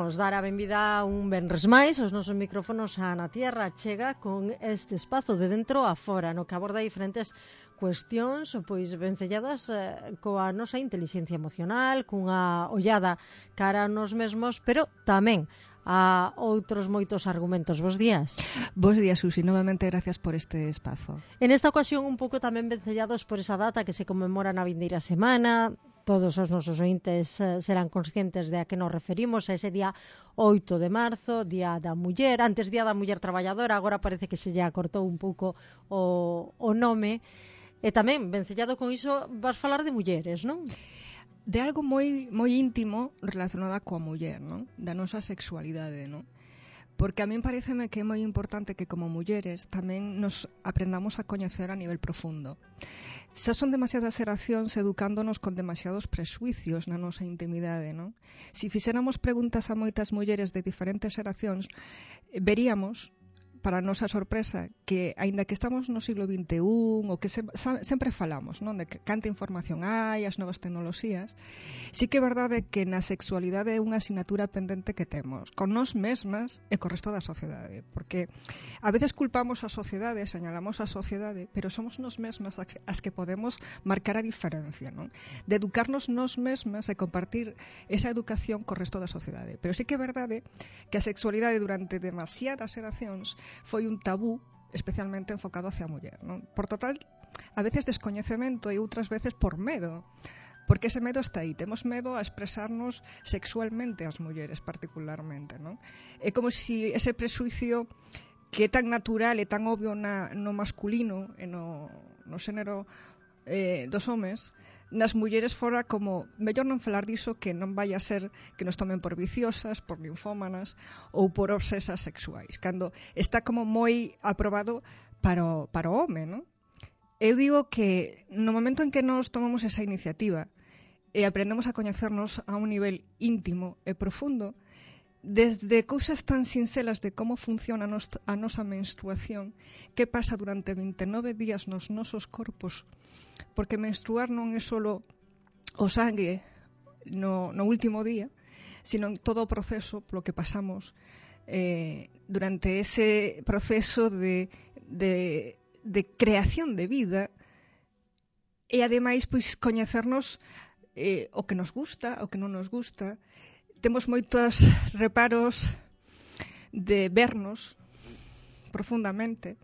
Imos dar a benvida un venres máis aos nosos micrófonos a Na Tierra Chega con este espazo de dentro a fora, no que aborda diferentes cuestións pois vencelladas coa nosa inteligencia emocional, cunha ollada cara a nos mesmos, pero tamén a outros moitos argumentos. Bos días. Bos días, Susi. Novamente, gracias por este espazo. En esta ocasión un pouco tamén vencellados por esa data que se conmemora na vindeira semana. Todos os nosos ointes serán conscientes de a que nos referimos, a ese día 8 de marzo, Día da Muller, antes Día da Muller Traballadora, agora parece que se lle acortou un pouco o nome. E tamén, vencellado con iso, vas falar de mulleres, non? De algo moi íntimo relacionado coa muller, non? Da nosa sexualidade, non? Porque a min pareceme que é moi importante que como mulleres tamén nos aprendamos a coñecer a nivel profundo. Xa son demasiadas xeracións educándonos con demasiados presuicios na nosa intimidade, non? Si fixéramos preguntas a moitas mulleres de diferentes xeracións, veríamos, para a nosa sorpresa, que aínda que estamos no siglo XXI, o que sempre falamos, non? De que canta información hai, as novas tecnoloxías, sí que é verdade que na sexualidade é unha asignatura pendente que temos, con nós mesmas e co resto da sociedade, porque a veces culpamos a sociedade, señalamos a sociedade, pero somos nós mesmas as que podemos marcar a diferencia, non? De educarnos nós mesmas e compartir esa educación co resto da sociedade. Pero sí que é verdade que a sexualidade durante demasiadas xeracións foi un tabú especialmente enfocado hacia a muller, non? Por total, a veces descoñecemento e outras veces por medo, porque ese medo está aí, temos medo a expresarnos sexualmente as mulleres particularmente, non? É como se ese presuicio que é tan natural e tan obvio no masculino e no xénero dos homes, nas mulleres fora como mellor non falar diso, que non vai a ser que nos tomen por viciosas, por linfómanas ou por obsesas sexuais, cando está como moi aprobado para o home, non? Eu digo que no momento en que nos tomamos esa iniciativa e aprendemos a coñecernos a un nivel íntimo e profundo, desde cousas tan sincelas de como funciona a nosa menstruación, que pasa durante 29 días nos nosos corpos, porque menstruar non é só o sangue no último día, sino todo o proceso polo que pasamos durante ese proceso de creación de vida, e ademais pois coñecernos o que nos gusta, o que non nos gusta. Temos moitos reparos de vernos profundamente,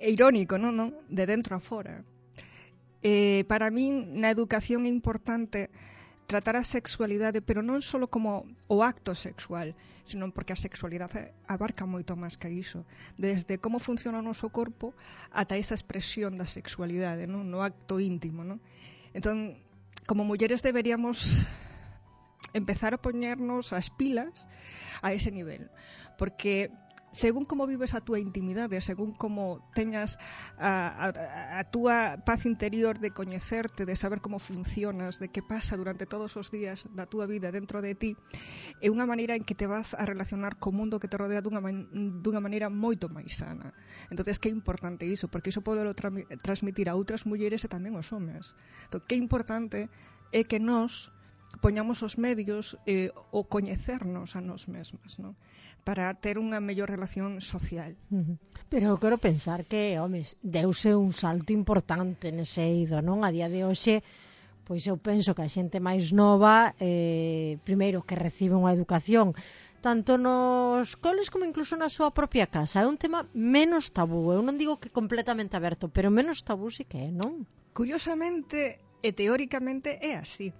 irónico, non? De dentro a fora. Para min, na educación é importante tratar a sexualidade, pero non só como o acto sexual, sino porque a sexualidade abarca moito máis que iso. Desde como funciona o noso corpo ata esa expresión da sexualidade, non? No acto íntimo, non? Entón, como mulleres deberíamos empezar a poñernos as pilas a ese nivel, porque según como vives a túa intimidade, según como teñas a túa paz interior de coñecerte, de saber como funcionas, de que pasa durante todos os días da túa vida dentro de ti, é unha maneira en que te vas a relacionar co mundo que te rodea dunha maneira moito máis sana. Entonces, que é importante iso, porque iso pode transmitir a outras mulleres e tamén aos homes. Entón, que importante é que nós poñamos os medios o coñecernos a nós mesmas, non? Para ter unha mellor relación social. Pero eu quero pensar que, homes, deuse un salto importante nese eido, non? A día de hoxe, pois eu penso que a xente máis nova, primeiro que recibe unha educación tanto nos coles como incluso na súa propia casa. É un tema menos tabú. Eu non digo que completamente aberto, pero menos tabú sí que é, non? Curiosamente e teóricamente é así.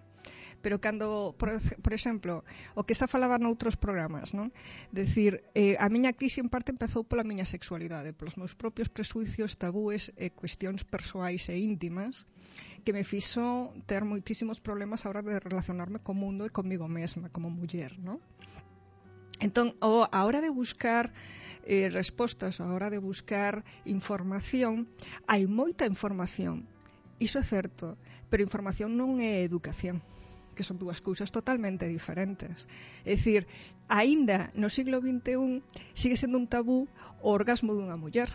Pero cando, por exemplo, o que xa falaba noutros programas, non? Decir, a miña crise en parte empezou pola miña sexualidade, polos meus propios presuicios, tabúes e cuestións persoais e íntimas que me fixo ter moitísimos problemas a hora de relacionarme co mundo e comigo mesma, como muller, non? Entón, a hora de buscar respostas, a hora de buscar información, hai moita información, iso é certo, pero información non é educación, que son dúas cousas totalmente diferentes. É dicir, aínda no siglo XXI sigue sendo un tabú o orgasmo dunha muller,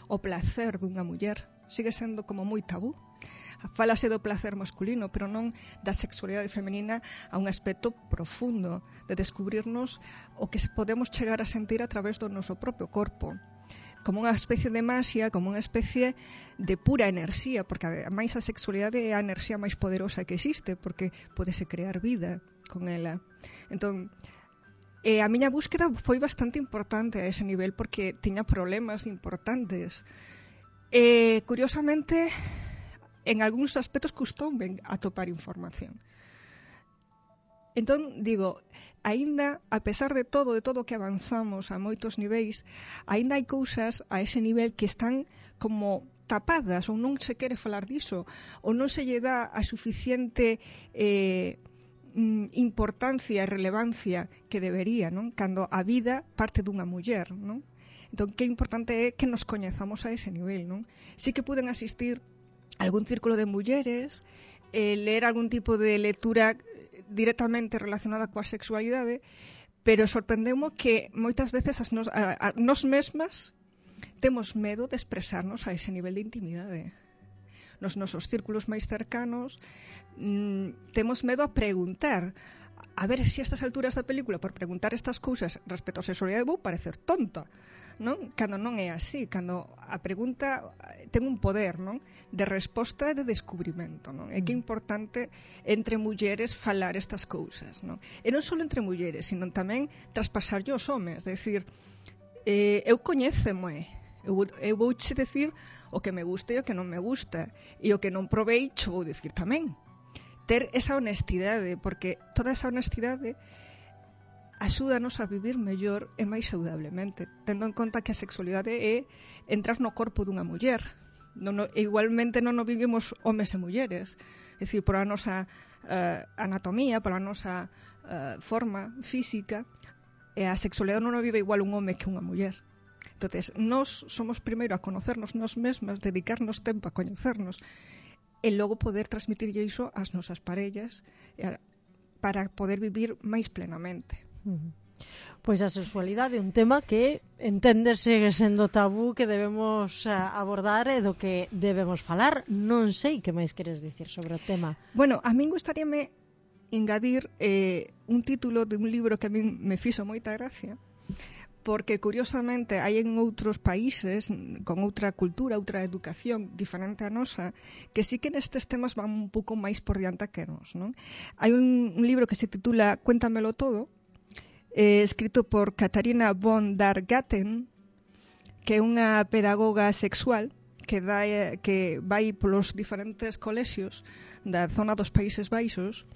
o placer dunha muller, sigue sendo como moi tabú. Fálase do placer masculino, pero non da sexualidade femenina a un aspecto profundo de descubrirnos o que podemos chegar a sentir a través do noso propio corpo, como unha especie de magia, como unha especie de pura enerxía, porque ademais a sexualidade é a enerxía máis poderosa que existe, porque podese crear vida con ela. Entón, a miña búsqueda foi bastante importante a ese nivel, porque tiña problemas importantes. Curiosamente, en algúns aspectos custoume atopar información. Entón, digo, aínda, a pesar de todo que avanzamos a moitos niveis, aínda hai cousas a ese nivel que están como tapadas, ou non se quere falar diso, ou non se lle dá a suficiente importancia e relevancia que debería, non? Cando a vida parte dunha muller, non? Entón, que importante é que nos coñezamos a ese nivel, non? Sí que puden asistir a algún círculo de mulleres, ler algún tipo de lectura directamente relacionada coa sexualidade, pero sorprendeu-me que moitas veces nos mesmas temos medo de expresarnos a ese nivel de intimidade. Nos nosos círculos máis cercanos temos medo a preguntar. A ver, se a estas alturas da película, por preguntar estas cousas respecto á sexualidade, vou parecer tonta, non? Cando non é así, cando a pregunta ten un poder, non? De resposta e de descubrimento, non? É que é importante entre mulleres falar estas cousas, non? E non só entre mulleres, sino tamén traspasarlle aos homes, decir, eu coñéceme, eu vouche decir o que me gusta e o que non me gusta, e o que non provei cho vou decir tamén. Ter esa honestidade, porque toda esa honestidade axúdanos a vivir mellor e máis saudablemente, tendo en conta que a sexualidade é entrar no corpo dunha muller. Igualmente non o vivimos homes e mulleres, é dicir, por a nosa anatomía, por a nosa forma física, e a sexualidade non o vive igual un home que unha muller. Entonces, nós somos primeiro a conocernos nós mesmas, dedicarnos tempo a coñecernos, e logo poder transmitirlle iso ás nosas parellas para poder vivir máis plenamente. Pois a sexualidade é un tema que entender segue sendo tabú, que debemos abordar e do que debemos falar. Non sei que máis queres dicir sobre o tema. Bueno, a min gustaríame engadir un título de un libro que a min me fixo moita gracia, porque curiosamente hai en outros países con outra cultura, outra educación diferente a nosa, que sí que nestes temas van un pouco máis por diante que nós, non? Hai un libro que se titula Cuéntamelo todo, escrito por Katharina von der Gatten, que é unha pedagoga sexual que vai polos diferentes colexios da zona dos Países Baixos,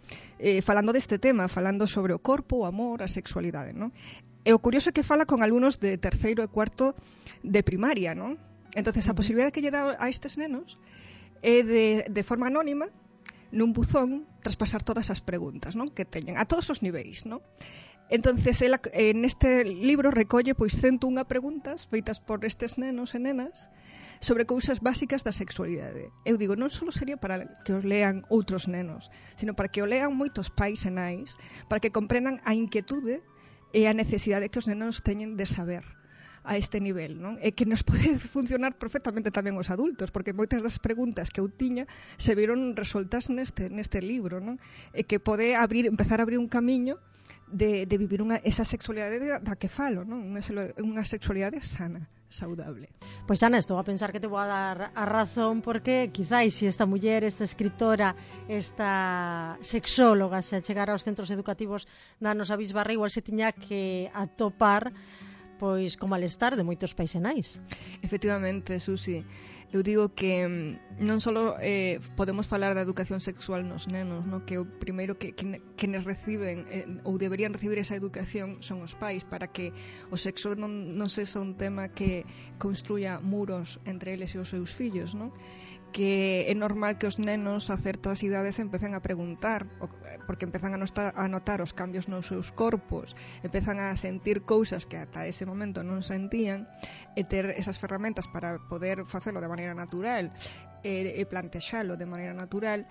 falando deste tema, falando sobre o corpo, o amor, a sexualidade, non? E o curioso é que fala con alumnos de terceiro e cuarto de primaria, non? Entonces, a posibilidade que lle dá a estes nenos é de forma anónima, nun buzón, traspasar todas as preguntas, non? Que teñen, a todos os niveis, non? Entonces, ela, neste libro recolle pois 101 preguntas feitas por estes nenos e nenas sobre cousas básicas da sexualidade. Eu digo, non só sería para que os lean outros nenos, sino para que o lean moitos pais e nais, para que comprendan a inquietude e a necesidade que os nenos teñen de saber a este nivel, non? E que nos pode funcionar perfectamente tamén os adultos, porque moitas das preguntas que eu tiña se viron resoltas neste libro, non? E que pode empezar a abrir un camiño de vivir esa sexualidade da que falo, non? Unha sexualidade sana, saudable. Pois Ana, estou a pensar que te vou a dar a razón, porque quizáis se esta muller, esta escritora, esta sexóloga se achegara aos centros educativos da nosa bisbarra, igual se tiña que atopar pois co malestar de moitos pais e nais. Efectivamente, Susi, eu digo que non só podemos falar da educación sexual nos nenos, no? Que o primeiro que nos reciben ou deberían recibir esa educación son os pais, para que o sexo non sexa un tema que construya muros entre eles e os seus fillos, non? Que é normal que os nenos a certas idades empecen a preguntar, porque empezan a notar os cambios nos seus corpos, empezan a sentir cousas que ata ese momento non sentían, e ter esas ferramentas para poder facelo de maneira natural e plantexalo de maneira natural,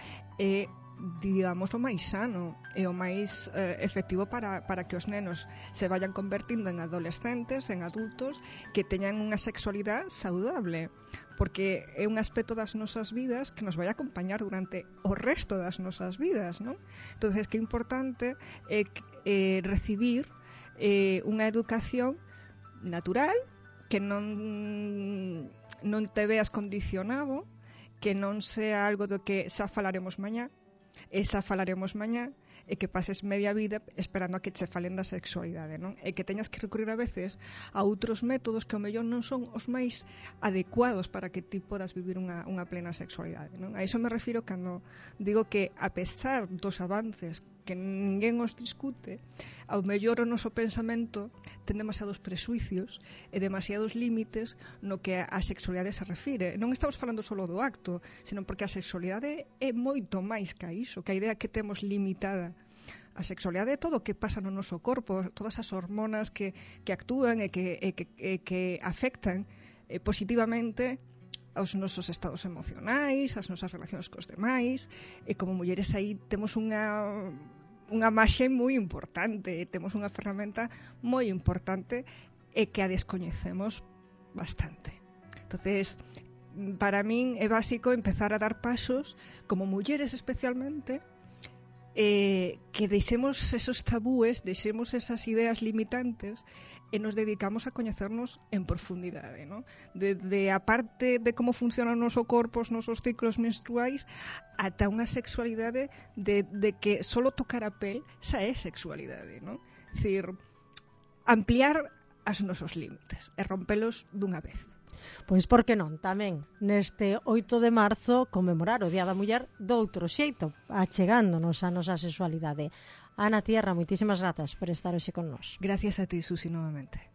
digamos, o máis sano e o máis efectivo para que os nenos se vayan convertindo en adolescentes, en adultos, que teñan unha sexualidade saudable, porque é un aspecto das nosas vidas que nos vai acompañar durante o resto das nosas vidas, non? Entonces, que é importante recibir unha educación natural, que non te veas condicionado, que non sea algo do que xa falaremos mañá, e que pases media vida esperando a que che falen da sexualidade, non? E que teñas que recurrir a veces a outros métodos que ao mellor non son os máis adecuados para que ti podas vivir unha plena sexualidade, non? A iso me refiro cando digo que, a pesar dos avances que ninguén os discute, ao mellor o noso pensamento ten demasiados presuicios e demasiados límites no que a sexualidade se refire. Non estamos falando só do acto, senón porque a sexualidade é moito máis que a iso, que a idea que temos limitada. A sexualidade é todo o que pasa no noso corpo, todas as hormonas que actúan e que afectan positivamente aos nosos estados emocionais, as nosas relacións cos demais, e como mulleres aí temos unha marxe moi importante, temos unha ferramenta moi importante e que a descoñecemos bastante. Entonces, para min é básico empezar a dar pasos, como mulleres especialmente, que deixemos esos tabúes, deixemos esas ideas limitantes e nos dedicamos a coñecernos en profundidade, ¿no? De a parte de como funciona o noso corpo, os nosos ciclos menstruais, ata unha sexualidade de que solo tocar a pel xa é sexualidade, ¿no? É dicir, ampliar os nosos límites e rompelos dunha vez. Pois por que non, tamén neste 8 de marzo conmemorar o Día da Muller doutro xeito, achegándonos a nosa sexualidade. Ana Tierra, moitísimas grazas por estar hoxe con nós. Gracias a ti, Susi, novamente.